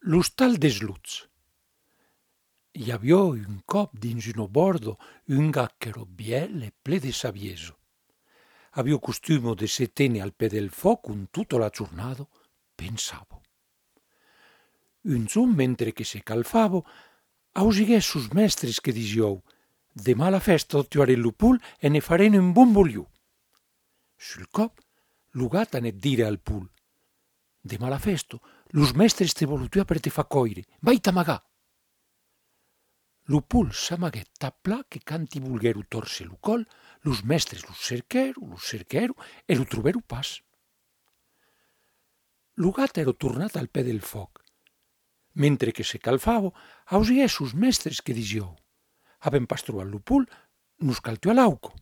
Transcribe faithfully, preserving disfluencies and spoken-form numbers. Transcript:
L'ostal dels lots. I aviá un còp dins una bòrda un gat qu'èra vièlh e plen de saviesa. Aviá costuma de se téner al pè del fòc ont tota la jornada pensava. Un jorn, mentre que se calfava, ausiguèt sos mèstres que disián: «Demà a la fèsta tuarem lo pol e ne farem un bon bolhon.» Sul còp, lo gat anèt dire al pol: «Demà a la fèsta, los mèstres te vòlon tuar per te far còire. Vai t'amagar!» Lo pol s'amaguèt tan plan que quand i volguèron tòrcer lo còl, los mèstres lo cerquèron, lo cerquèron e lo trobèron pas. Lo gat èra tornat al pè del fòc. Mentre que se calfava, ausiguèt sos mèstres que disián: «Avèm pas trobat lo pol, nos cal tuar l'auca.»